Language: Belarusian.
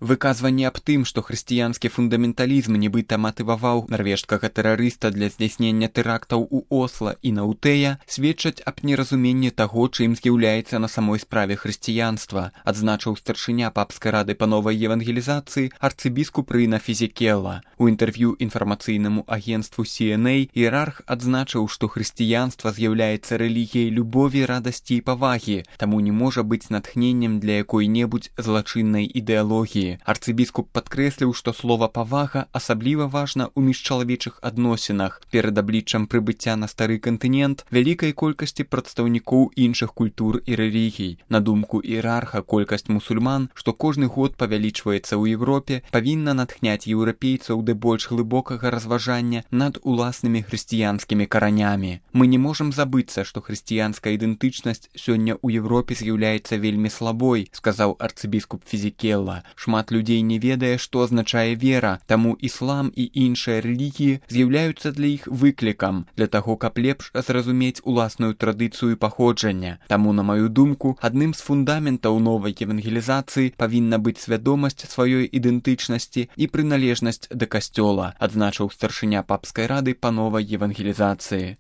Выказванне аб тым, што хрысціянскі фундаменталізм нібыта матываваў нарвежскага тэрарыста для здзяйснення тэрактаў у Осла і на Утэя, сведчаць аб неразуменні таго, чым з'яўляецца на самой справе хрысціянства, адзначыў старшыня папскай рады па новай евангелізацыі арцыбіскуп Рына Фізікелла. У інтэрв'ю інфармацыйнаму агенцтву CNA іерарх адзначыў, што хрысціянства з'яўляецца рэлігіяй любові, радасці і павагі, таму не можа быць натхненнем для якой-небудзь злачыннай ідэалогіі. Арцыбіскуп падкрэсліў, што слова «павага» асабліва важна ў міжчалавечых адносінах. Перад абліччам прыбыцця на стары кантынент вялікай колькасці прадстаўнікоў іншых культур і рэлігій. На думку іерарха, колькасць мусульман, што кожны год павялічваецца ў Европе, павінна натхняць еўрапейцаў да больш глыбокага разважання над уласнымі хрысціянскімі каранямі. Мы не можам забыцца, што хрысціянская ідэнтычнасць сёння ў Европе з'яўляецца вельмі слабой, сказаў арцыбіскуп Фізікелла. Шмат людзей не ведае, што азначае вера, таму іслам і іншыя рэлігіі з'яўляюцца для іх выклікам, для таго, каб лепш зразумець уласную традыцыю паходжання. Таму, на маю думку, адным з фундаментаў новай евангелізацыі павінна быць свядомасць сваёй ідэнтычнасці і прыналежнасць да касцёла, адзначыў старшыня папскай рады па новай евангелізацыі.